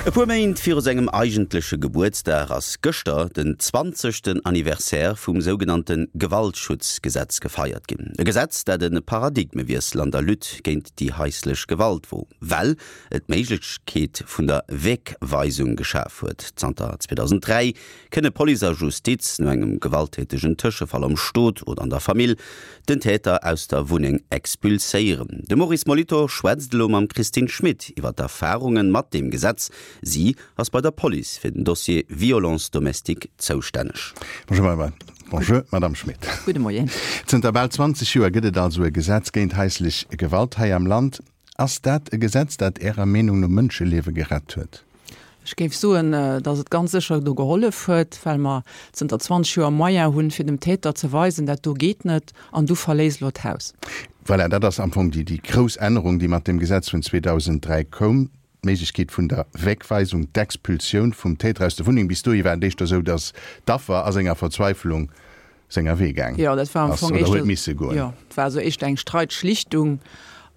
E puer Méint viru sengem eigentleche Gebuertsdag ass gëschter den zwanzegsten Anniversaire vum sougenannte Gewaltschutzgesetz gefeiert ginn. E Gesetz, dat e Paradigmewiessel an der Lutte géint déi haislech Gewalt wor, well et d'Méiglechkeet vun der Wegweisung geschaf huet. Zanter 2003 kënne Police a Justiz no engem gewalttätegen Tëschefall am Stot oder an der Famill den Täter aus der Wunneng expulséieren. De Maurice Molitor schwätzt elo mam Christine Schmit iwwer d'Erfarunge mat deem Gesetz. Si ass bei der Police fir den Dossier Violence domestique zoustänneg. Bonjour, Bonjour Madame Schmit. Gudde Moien. Zënter bal 20 Joer gëtt et also e Gesetz géint haislech Gewalt hei am Land. Ass dat e Gesetz, dat Ärer Meenung no Mënscheliewe gerett huet? Ech géif soen, datt et ganz sécher do gehollef huet, well mer zënter 20 Joer Moyen hunn, fir dem Täter ze weisen, dat do geet net an du verléiss elo d'Haus. Voilà, dat ass am Fong déi, déi grouss Ännerung, déi mat dem Gesetz vun 2003 koum, d'Méiglechkeet vun der Wegweisung, d'Expulsioun vum Täter aus der Wunneng. Bis dohi war et éischter esou, datt d'Affer a senger Verzweiflung senger Wee gaang Jo, dat war am ass Fong oder éischter, huet misse goen. jo, et war esou éischter eng Streitschlichtung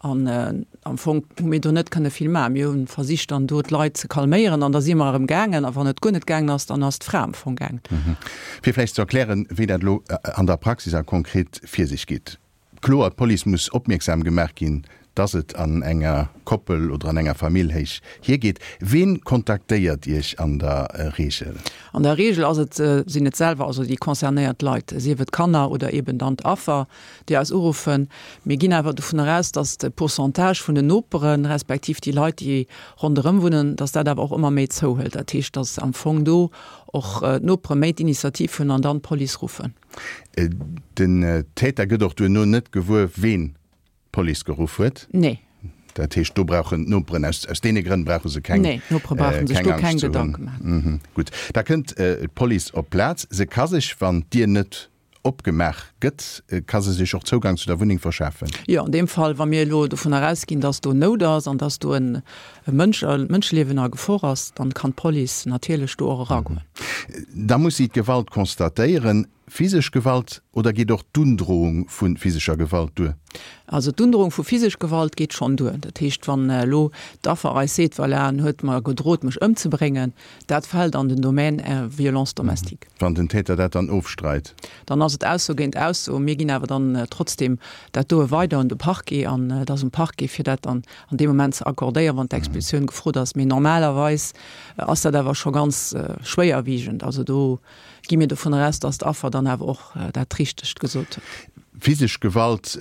an am Fong hu mir do net kënne vill maachen. Mir hu versicht dann do d'Leit ze calméieren an da si mer erëm gaangen a wann et guer net gaangen ass, dann ass d'Fra am Fong gaangen. Fir vläicht ze erklären, wéi dat elo an der Praxis a konkret vir sech geet. Kloer, d'Police muss opmierksam gemaach ginn, dass et an enger Koppel oder an enger Famill héich hiergeet. Ween kontaktéiert Iech an der Reegel? An der Reegel ass et, sinn et selwer, also déi concernéiert Leit, sief et Kanner oder eben dann d'Affer, déi eis uruffen. Mir ginn awer dovun eraus, dass de Pourcentage vun den Noperen, respektiv déi Leit, déi ronderëm wunnen, dass dat awer och ëmmer méi zouhëlt. Dat heescht, dass am Fong do och d'Nopere méi d'Initiativ hunn an dann d'Police ruffen. Den Täter gëtt och duerno net gewuer, ween d'Police geruff huet? Nee. Dat heescht, do brauchen d'Noperen, aus, aus deene Grënn brauche se keng, Nee, d'Nopere brauche sech keng do Angscht keng ze hunn. Gedanke maachen. Gutt, da kënnt d'Police op d'Plaz. Se ka sech, wann d'Dier net opgemaach gëtt, ka se sech och Zougang zu der Wunneng verschafen. Jo, an deem Fall, wa mir elo dovunner ausginn, dass do Nout ass an dass do en Mënsch, e Mënscheliewen a Gefor ass, dann kann d'Police natierlech do och eragoen. Da muss si d'Gewalt constatéieren. Physesch Gewalt oder geet och d'Undrohung vu physescher Gewalt duer? Also d'Undrohung vu physesch Gewalt geet schonn duer. Dat heescht, wann elo d'Affer eis seet, voilà, en huet mer gedrot mech ëmzebréngen, dat fält an den Domaine violence domestique. Wann den Täter dat dann ofstreit? Dann ass et Ausso géint Ausso. Mir ginn awer dann trotzdem dat doe weider un de Parquet an et ass um Parquet fir dat dann an deem Moment ze accordéieren, wann d'Expulsioun gefrot ass. Mee normalerweis ass dat awer scho ganz schwéierwiegend. Also do gi mir dovunner aus, dass d'Affer dann awer och dat Richtegt gesot huet. Physesch Gewalt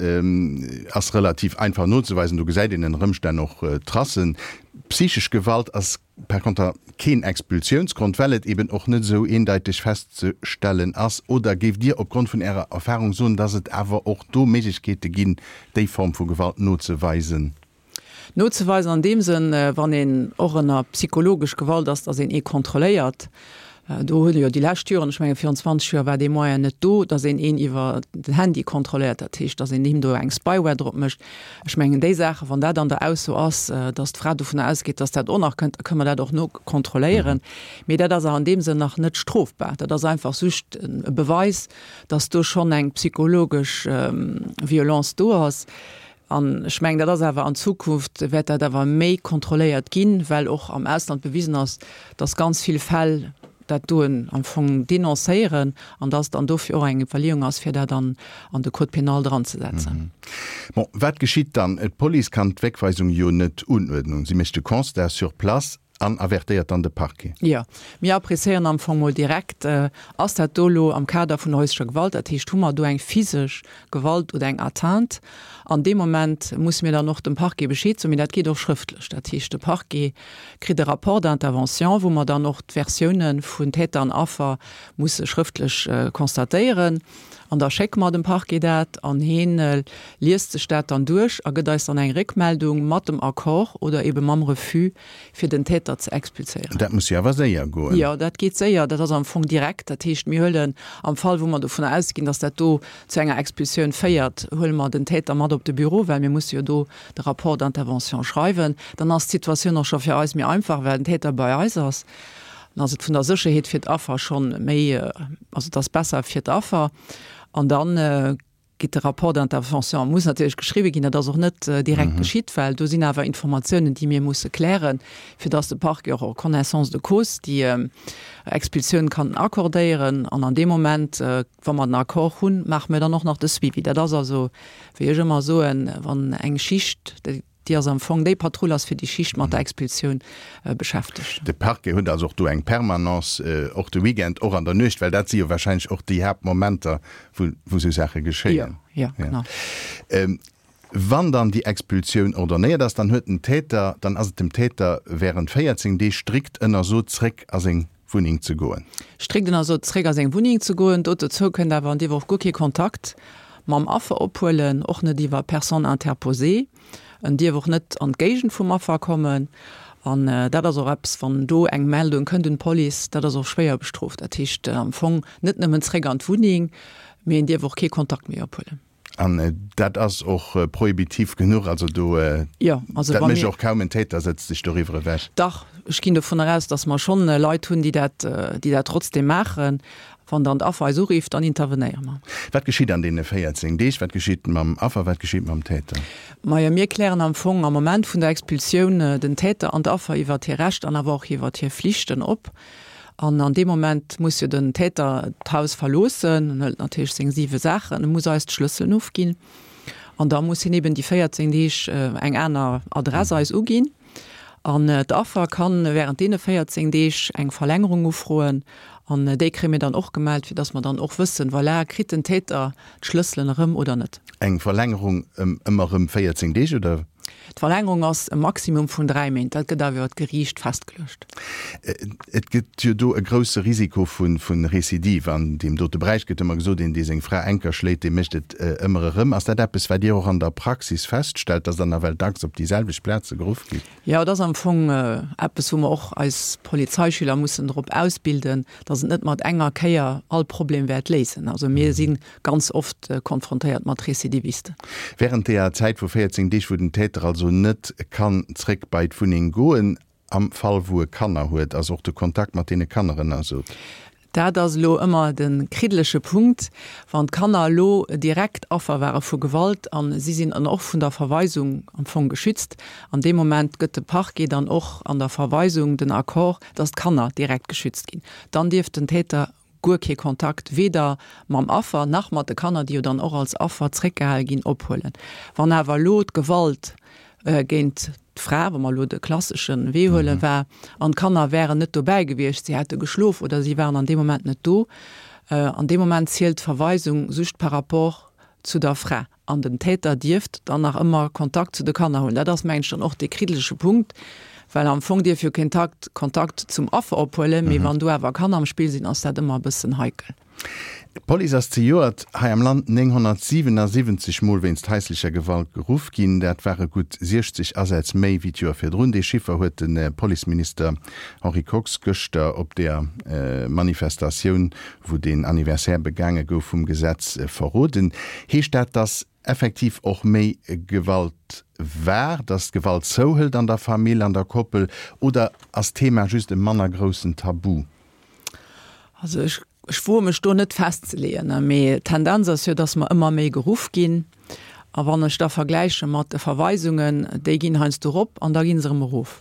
ass relativ einfach nozeweisen, do gesäit een ënner Ëmstänn och Tracen. Psychesch Gewalt ass par konter keen Expulsiounsgrond, well et eben och net esou eendeiteg festzestellen ass. Oder géift Dir opgrond vun Ärer Erfahrung soen, dass et awer och do Méiglechkeete ginn, déi Form vu Gewalt nozeweisen? Nozeweisen an deem Sënn, wann een och ënner psychologesch Gewalt ass, datt een ee kontrolléiert. Do hunn jo déi lescht Joren, ech menge virun 20 Joer war dee Moyen net do, datt een een iwwer den Handy kontrolléiert, dat heescht, datt een him do eng Spyware drop mécht. Ech mengen déi Saachen, wann dat an der Ausso ass, datt d'Fra dovunner ausgeet, datt dat och nach kënnt, da kënne mer dat och nokontrolléieren. Mee dat ass awer an deem Sënn nach net strofbar. Dat ass einfach just e Beweis, datt do schonn eng psychologesch Violence do ass. An ech mengen, dat ass awer an Zukunft wäert dat awer méi kontrolléiert ginn, well och am Ausland bewisen ass, dass ganz vill Fäll dat doen am Fong denoncéieren an dass dann dofir och eng Iwwerleeung ass, fir dat an an de Code pénal dranzesetzen. Bon, wat geschitt dann? D'Police kann d'Wegweisung jo net unuerdnen. Si mécht de Constat sur place An avertéiert dann de Parquet. Jo, mir appréciéieren am Fong mol direkt, Ass dat do elo am Kader vun häuslecher Gewalt? Dat heescht, hu mer do eng physesch Gewalt oder eng Atteinte? An deem Moment musse mir dann och dem Parquet Bescheed soen, mee dat geet och schrëftlech. Dat heescht, de Parquet kritt e Rapport d'intervention, wou mer dann och d'Versiounen vun Täter an Affer musse schrëftlech constatéieren. An da schécke mer dem Parquet dat an heen liest sech dat dann duerch a gëtt eis dann eng Réckmeldung mat dem Accord oder ebe mam Refus, fir den Täter ze expulséieren. Dat muss jo awer séier goen. Jo, dat geet séier. Dat ass am Fong direkt. Dat heescht, mir huelen am Fall, wou mer dovunner ausginn, dass dat do zu enger Expulsioun féiert, huele mer den Täter mat op de Büro, well mir musse jo do de Rapport d'intervention schreiwen. Dann ass d'Situatioun och scho fir eis méi einfach, well den Täter bei eis ass. Dann ass et vun der Sécherheet fir d'Affer schonn méi, also et ass besser fir d'Affer. An dann. Geet de Rapport d'intervention muss natierlech geschriwwe ginn. Dat ass och net direkt geschitt, well do sinn awer Informatiounen, déi mir musse klären, fir dass de Parquet och en connaissance de cause déi Expulsioun kann accordéieren. An an deem Moment, wa mer den Accord hunn, maache mir dann och nach de Suivi. Dat ass also, wéi ech ëmmer soen, wann eng Schicht, déi ass am Fong, déi Patrull ass fir déi Schicht mat der Expulsioun beschäftegt. De Parquet huet also och do eng Permanence, och de Weekend, och an der Nuecht, well dat si jo wahrscheinlech och déi Haaptmomenter, wou esou Saache geschéien. Jo, jo, genau. Wann dann déi Expulsioun ordonnéiert ass, dann huet den Täter, dann ass et dem Täter während 14 Deeg strikt ënnersot, zréck a seng Wunneng ze goen. Strikt ënnersot, zréck a seng Wunneng ze goen. Dozou kënnt awer, en dierf och guer kee Kontakt mam Affer ophuelen, och net iwwer Personne interposée. En dierf och net an d'Géigend vum Affer kommen. An dat ass och eppes, wann do eng Meldung kënnt un d'Police, dat ass och schwéier bestrooft. Dat heescht am Fong net nëmmen zréck an d'Wunneng, mee en dierf och kee Kontakt méi ophuelen. An dat ass och prohibitiv genuch, also do, Jo, also dat mécht och kaum en Täter, setzt sech doriwwer ewech. Dach, ech ginn dovunner aus, datt mer schonn Leit hunn, déi dat, déi dat trotzdeem maachen. Wann dann d'Affer eis urifft, dann intervenéiere mer. Wat geschitt an deene 14 Deeg? Wat geschitt mam Affer? Wat geschitt mam Täter? Majo, mir klären am Fong am Moment vun der Expulsioun den Täter an d'Affer iwwert hir Recht an awer och iwwert hir Flichten op. An an deem Moment muss jo den Täter d'Haus verloossen, en hëlt natierlech seng siwe Saachen, e muss eis d'Schlësselen ofginn an da muss hien eben déi 14 Deeg eng aner Adress eis uginn. An d'Affer kann während deene 14 Deeg eng Verlängerung ufroen an déi kréie mir dann och gemellt, fir dass mer dann och wëssen, voilà, kritt den Täter d'Schlësselen erëm oder net. Eng Verlängerung ëm ëmmer erëm 14 Deeg, oder? D'Verlängerung ass e Maximum vun 3 Méint. Dat gëtt awer iwwer d'Geriicht festgeluecht. Et gëtt jo do e grousse Risiko vu Recidive an deem dote Beräich. Gëtt ëmmer gesot, een, dee seng Fra enker schléit, dee mécht et ëmmer erëm. Ass dat eppes, wat Dir och an der Praxis feststellt, dass Der nawell dacks op déi selwecht Plaze geruff gitt? Jo, et ass am Fong eppes, wou mer och eis Polizeischüler mussen drop ausbilden, dass et net mat enger Kéier all Problem wäert léisen. Also mir si ganz oft konfrontéiert mat Recidivisten. Während deeër Zäit vu 14 Deeg, wou den Täter also net kann zréck bei d'Wunneng goen, am Fall wou e Kanner huet, ass och de Kontakt mat deene Kanner ënnersot. Dat ass elo ëmmer de kriddeleche Punkt, wann d'Kanner elo direkt Affer ware vu Gewalt a si sinn dann och vun der Verweisung am Fong geschützt. An deem Moment gëtt de Parquet dann och an der Verweisung den Accord, dass d'Kanner direkt geschützt ginn. Dann dierf den Täter guer kee Kontakt weder mam Affer nach mat de Kanner, déi jo dann och als Affer zréckgehale ginn, ophuelen. Wann awer elo d'Gewalt géint d'Fra, wa mer elo de klassesche Wee huelen, war an d'Kanner wären net dobäi gewiescht, si hätte geschlof oder si waren an deem Moment net do, an deem Moment zielt d'Verweisung just par rapport zu der Fra. An den Täter dierft dann nach ëmmer Kontakt zu de Kanner hunn. Dat ass, mengen ech, dann och dee kriddelege Punkt, well am Fong dierf jo keen Takt Kontakt zum Affer ophuelen, mee wann do awer Kanner am Spill sinn, ass dat ëmmer e bëssen heikel. D'Police ass zejoert hei am Land 977 Mol wéinst haislecher Gewalt geruff ginn. Dat ware gutt 60 Asätz méi wéi d'Joer virdrun. Dee Chiffer huet de Policeminister Henri Kox gëschter op der Manifestatioun wou deen Anniversaire begaange gouf vum Gesetz, verroden. Heescht dat, dass effektiv och méi Gewalt war, dass d'Gewalt zouhëlt an der Famill, an der Koppel, oder ass d'Thema just e manner groussen Tabu? Also ech, ech woe mech do net festzeleeën, mee d'Tendenz ass jo, dass mer ëmmer méi geruff ginn. A wann ech da vergläiche mat de Verweisungen, déi ginn heiansdo erop an da gi se erëm erof.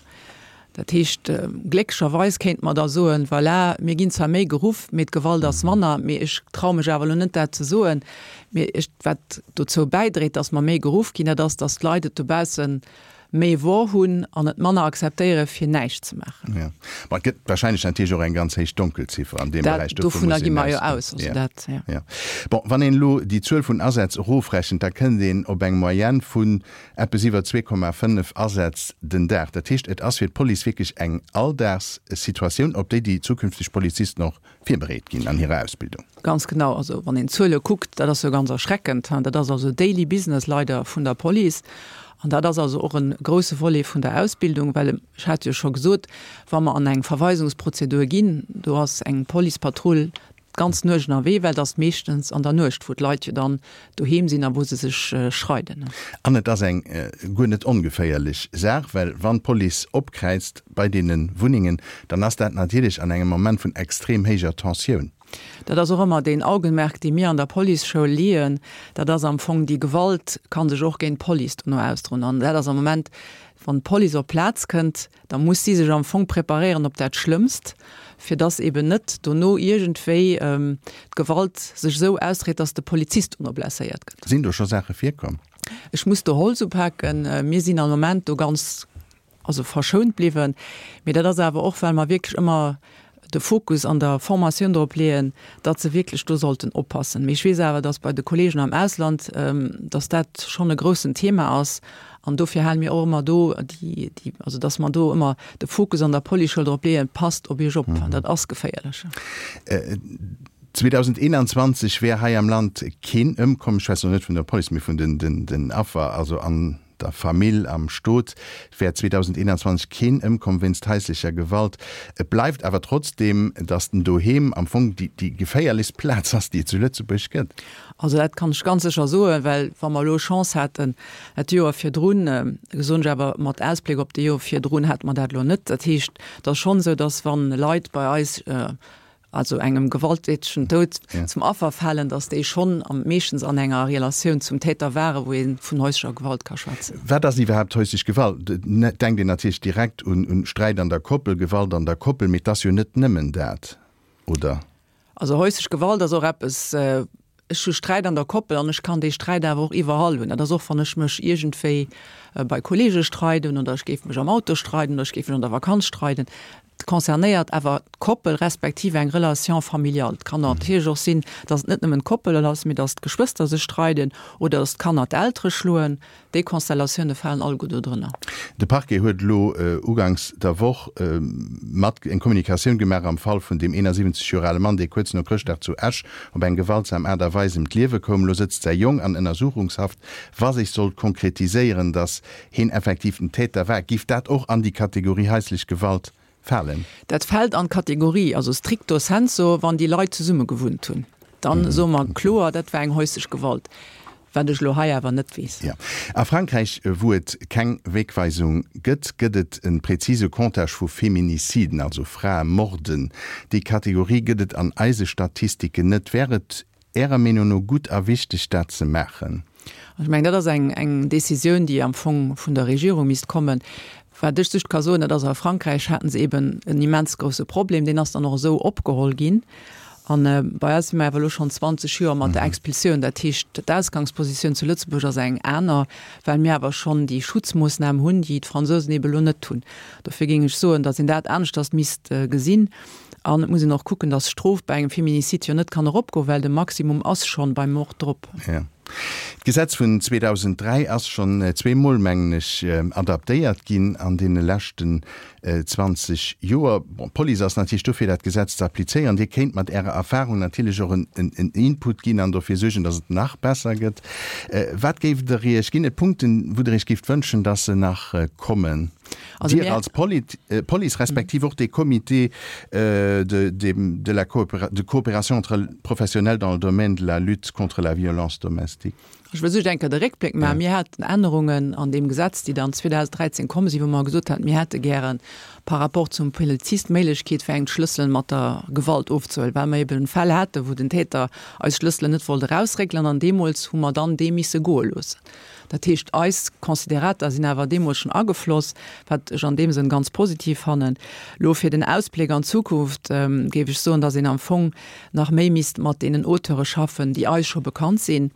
Dat heescht, glécklecherweis kéinte mer da soen, voilà, mir ginn zwar méi geruff, mee d'Gewalt ass manner. Mee ech traue mech awer elo net, dat ze soen. Mee ech, wat dozou bäidréit, datt mer méi geruff ginn, dat ass, datt d'Leit et dobausse méi wor hunn an et manner akzeptéiere fir näischt ze maachen. Jo. Ma et gëtt wahrscheinlech natierlech och eng ganz héich Donkelziffer an deem Beräich. Dat, dovunner gi mer jo aus. Also dat, jo. Jo. Bon, wann een elo déi Zuel vun Asätz erofrechent, da kënnt een op eng Moyenne vun eppes iwwer 2,5 Asätz den Dag. Dat heescht, et ass fir d'Police wierklech eng Alldagssituatioun, op déi déi zukünfteg Polizisten och virbereet ginn an hirer Ausbildung. Ganz genau. Also wann een d'Zuele kuckt, dat ass jo ganz erschreckend. Dat ass also daily business leider vun der Police. An dat ass also och e grouse Volet vun der Ausbildung, well ech hat jo scho gesot, wa mer an eng Verweisungsprozedur ginn, do ass eng Policepatrull d'ganz Nuecht ënnerwee, well et ass meeschtens an der Nuecht, wou d'Leit jo dann doheem sinn a wou se sech schreiden. An et ass eng guer net ongeféierlech Saach, well wann d'Police opkräizt bei deene Wunnengen, dann ass dat natierlech an engem Moment vun extrem héijer Tensioun. Dat ass och ëmmer deen Augenmerk, dee mir an der Policeschoul leeën. Dat ass am Fong, déi Gewalt ka sech och géint d'Police dono ausdroen. An dat ass am Moment, wann d'Police op d'Plaz kënnt, da muss si sech am Fong preparéieren op dat Schlëmmst, fir dass eben net dono iergendwéi d'Gewalt sech esou ausdréit, dass de Polizist dono blesséiert gëtt. Sinn do scho Saache virkomm? Ech muss do Holz upaken. Mir sinn am Moment do ganz, also verschount bliwwen. Mee dat ass awer och, well mer wierklech ëmmer de Fokus an der Formatioun drop leeën, datt se wierklech do sollten oppassen. Mee ech weess awer, datt bei de Kollegen am Ausland, datt dat schonn e groussen Thema ass. An dofir hale mir och ëmmer do déi, déi, also datt mer do ëmmer de Fokus an der Policeschoul drop leeën, Passt op Iech op, dat ass geféierlech. 2021 wär hei am Land keen ëmkomm, ech schwätzen elo net vun der Police, mee vun den Affer, also an der Famill, am Stot wär 2021 keen ëmkomm wéinst haislecher Gewalt. Et bleift awer trotzdeem, datt den Doheem am Fong déi geféierlechst Plaz ass, déi et zu Lëtzebuerg gëtt. Also dat kann ech ganz sécher soen, well wa mer elo Chance haten dat Joer virdrun, soen ech awer mat Ausbléck op déi Joer virdrun, hate mer dat elo net. Dat heescht, et ass schonn esou, datt wa Leit bei eis, also engem gewalttätegen Doud zum Affer falen, datt déi schonn am meeschtens an enger Relatioun zum Täter waren, wou ee vun häuslecher Gewalt ka schwätzen. Wat ass iwwerhaapt häuslech Gewalt? Et denkt een natierlech direkt un Sträit an der Koppel, Gewalt an der Koppel, mee et ass jo net nëmmen dat, oder? Also häuslech Gewalt ass och eppes, ech hu Sträit an der Koppel an ech kann dee Sträit awer och iwwerall hunn. Dat ass och, wann ech mech iergendwéi bei Kollege streiden oder ech géif mech am Auto streiden oder ech géif mech an der Vakanz streiden. Et concernéiert awer d'Koppel respektiv eng Relation familiale. Et kann natierlech och sinn, datt et net nëmmen d'Koppel ass, mee datt d'Geschwëster sech streiden oder datt d'Kanner d'Eltere schloen. Déi Konstellatioune falen alleguer do drënner. De Parquet huet elo uganks der Woch mat eng Kommunikatioun gemaach am Fall vun deem 71 Joer ale Mann, dee kuerz no Chrëschtdag zu Esch op eng gewaltsam Aart a Weis ëm d'Liewe koum. Elo sëtzt säi Jong an Ënnersuchungshaft. Wa sech sollt konkretiséieren, datt heen effektiv den Täter war, giff dat och an déi Kategorie haislech Gewalt falen? Dat fält an d'Kategorie, also stricto sensu, wann déi Leit zesumme gewunnt hunn, dann soe mer kloer, dat war eng häuslech Gewalt, wat ech elo hei awer net weess. Jo. A Frankräich, wou et keng Wegweisung gëtt, gëtt et e präzise Comptage vu Feminiciden, also Fraemorden. Déi Kategorie gëtt et an eise Statistiken net. Wär et Ärer Meenung no gutt a wichteg, dat ze maachen? Ech mengen, dat ass eng, eng Décisioun, déi am Fong vun der Regierung misst kommen. Wat ech just ka soen, dat ass, a Frankräich haten se eben en immens grousse Problem, deen ass dann och esou opgeholl ginn. A bei eis si mer awer elo schonn 20 Joer mat der Expulsioun. Dat heescht, d'Ausgangspositioun zu Lëtzebuerg ass eng aner, well mir awer schonn déi Schutzmoossnam hunn, déi d'Fransousen eben elo net hunn. Dofir géing ech soen, datt een dat aneschters misst gesinn. An et muss een och kucken, datt d'Strof bei engem Feminicide jo net kann eropgoen, well de Maximum ass schonn beim Mord drop. Jo. D'Gesetz vun 2003 ass schonn zweemol, mengen ech, adaptéiert ginn an deene leschten 20 Joer. Bon, d'Police ass natierlech do, fir dat Gesetz ze applizéieren. Dir kéint mat Ärer Erfahrung natierlech och en Input ginn an dofir suergen, datt et nach besser gëtt. Wat géift Der Iech, ginn et Punkten, wou Der Iech géift wënschen, datt se nach kommen? Also Dir als Police respektiv och dee Comité de, de, de la de coopération entre professionnels dans le domaine de la lutte contre la violence domestique. Ech wëll just eng Kéier de Réckbléck maachen. Mir haten Ännerungen an deem Gesetz, déi dann 2013 komm sinn, wou mer gesot haten, mir hätte gäre par rapport zum Polizist d'Méiglechkeet, fir eng d'Schlësselen mat der Gewalt ofzehuelen, well mer eben Fäll haten, wou den Täter eis Schlësselen net wollt erausréckelen an deemools hu mer dann dee misse goe loossen. Dat heescht, eis Considérata sinn awer deemools schonn agefloss, wat ech an deem Sënn ganz positiv fannen. Elo fir den Ausbléck an d'Zukunft géif ech soen, dass een am Fong nach méi misst mat deenen Auteure schaffen, déi eis scho bekannt sinn.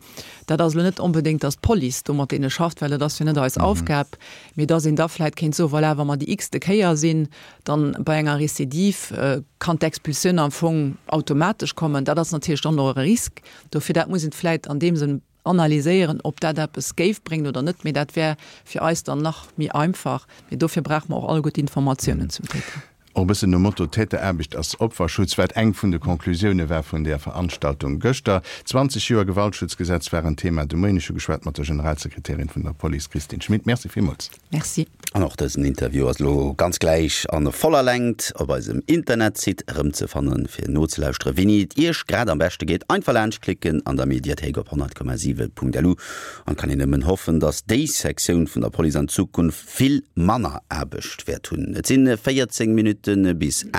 Dat ass elo net onbedéngt, dass d'Police do mat deene schafft, well dat ass jo net eis Aufgab, mee dass een da vläicht kéint soen, voilà, wa mer déi x-te Kéier sinn, dann bei enger Récidive kann d'Expulsioun am Fong automatesch kommen. Dat ass natierlech dann och e Risk. Dofir, dat muss een vläicht an deem Sënn analyséieren, ob dat eppes géif bréngen oder net, mee dat wär fir eis dann nach méi einfach. Mee dofir brauche mer och alleguer d'Informatiounen zum Täter. Och e bëssen nom Motto Täteraarbecht ass Opferschutz, wat eng vun de Conclusioune war vun där Veranstaltung gëschter. 20 Joer Gewaltschutzgesetz waren Thema de Moien. Ech hu geschwat mat der Generalsekretärin vun der Police Kristin Schmit. Merci villmools. Merci. An och dësen Interview ass elo ganz gläich an voller Längt op eisem Internetsite erëmzefannen. Fir nozelauschteren, wéini et Iech grad am beschte geet, einfach laanscht klicken an der Mediathéik op 100,7.lu. An et kann een nëmmen hoffen, dass déi Sektioun vun der Police an Zukunft vill manner Aarbecht wäert hunn. Et sinn 14 Minutte bis 8.